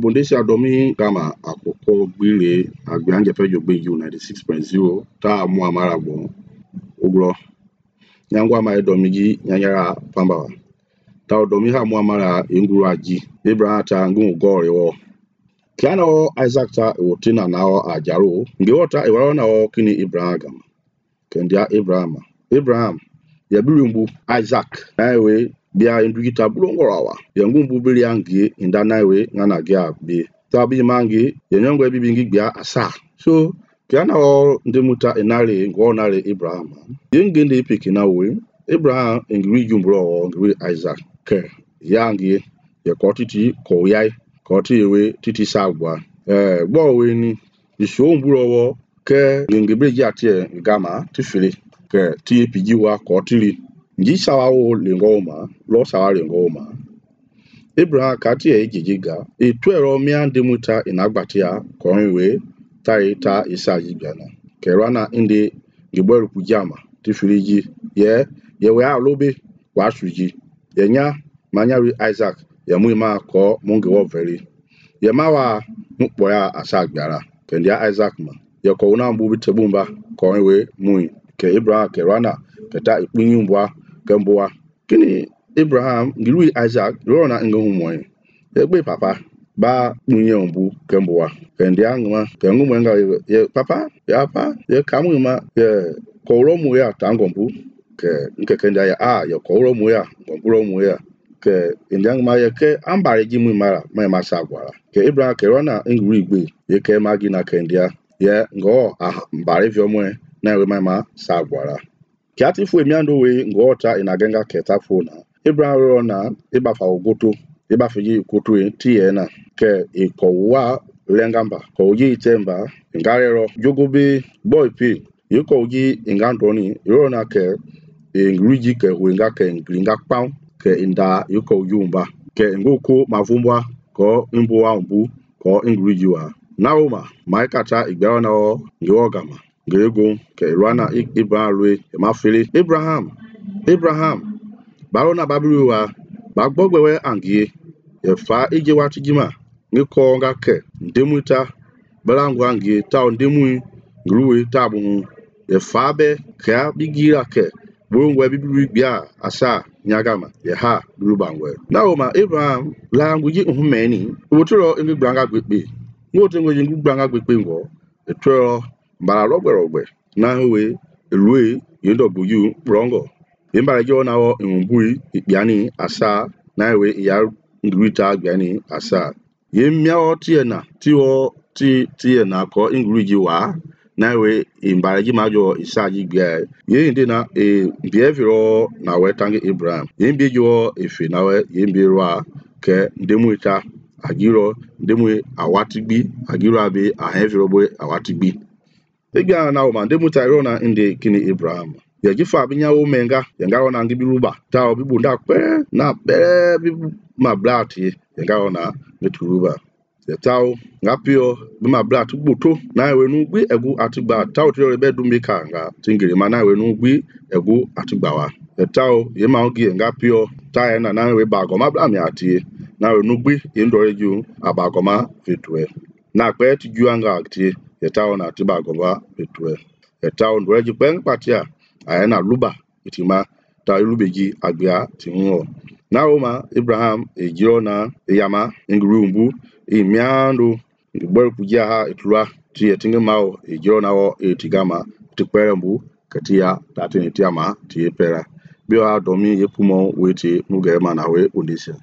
Bundesliga domi kama akoko gbile agbianje pejo gbe U 96.0 ta mu amara bon ugro nyangwa ma domigi nyanyara pamba ta domi ha mu amara inguru aji Abraham ta ngu gore wo kiano Isaac ta wotina nao ajaro ngi wota e wala nao kini Abraham gama kendia Abraham ya bilumbu Isaac naiwe bia indugita bulongorawa yangu mbubili yangi indanawe ngana gya be tabi mangi yenyongwe bibingi bia asa so kiana o ndemuta enale ngonale Abraham yengende pikina we Abraham ingri jumbro ngri Isaac ke yangi ye kotiti koyai kotiwe titi sagwa gbo we ni isho mburowo ke ngebe jatie gama tifili ke ti pijiwa kotili nji sawawo lingoma lo sawa lingoma Abraham kati ejijiga etwero miande muta inagbatia konwe ta isaji biana kerana inde ngibweru kujama tifiliji ye we alobe wa suji yenya manyari Isaac ya muima ko mungi wo veri ye mawa mukboya asagbara kendia Isaac ma ye ko una mbubi tebumba konwe mui ke Abraham kerana keta ikpinyumbwa kemboa kini Abraham ngilu Isaac rona ngohumoy egbe papa ba munye ombu kemboa kendia ngwa kengumenga ye papa ye kamuma ye kolomu ya tangombu ke nkekendia ya ye kolomu ya ngombulomu ya ke indiangma ye ke ambare jimu mara ma sagwara ke Abraham ke rona ngulu igbe ye ke magina kendia ye ngo mbare vyomwe na we ma sagwara kiati fu emiando we ngota inagenga ketafona Abraham rona ibafa ogoto ibafiji koto tiena ke ikowa lengamba ko yi temba ngarero jogobe boy p yiko yi ingandoni rona ke ngruji ke wenga ke ngringa paun ke inda yiko yumba ke ngoko mavumbwa ko imbuwa mbu ko ngrujiwa naoma maikata igbaona o ngiogama Grego ke rana Ibrahim mafili Abraham barona babuwa bagbogbewe angie efa ije watijima ngiko nga ke ndemuta balangwa angie ta ndemu gruwe tabu efa be ka bigira ke bongwe bibi bia asa nyagama ye ha lubangwe naoma Abraham languji uhumeni wotoro ngi gbanga gbegbe ngoto ngi gbanga gbegbe ngo etoro mbara rogbe na we elue YW brongo imbara jo na wo mbui ipiani asa na we ya ngruita agbani asa ye miao tiena tiena ko ingruji wa na we imbara ji majo isaji gbe ye inde na behavior na we tangi Abraham ye mbejo efe na we ye mbirwa ke ndemuita agiro ndemu awatigbi agiro abe aheviro boy awatigbi Egia na oma ndemuta rona inde kini Abraham ya jifa binyawo menga yanga ona ngibiruba ta obibunda pe na be bibu ma blati yanga ona meturuba ya tawo ngapio bi ma blat gboto na we nu gbi egu atigba tawo tire be dumika nga tingire ma na we nu gbi egu atigba wa ya tawo ye ma ogi ngapio ta na we bagoma bla mi atie na we nu gbi indoreju abagoma fetwe na pe ti juanga atie yetawo na tiba goba betwe yetawo ndweji pen patia ayana luba itima ta lubeji agbia tinwo naoma Abraham ejiro na yama ngurumbu imiando ngibor kujia ha itlwa ti yetinga mawo ejiro na wo etigama tikperembu katia tatini tiama ti pera biwa domi yepumo weti mugema na we undisia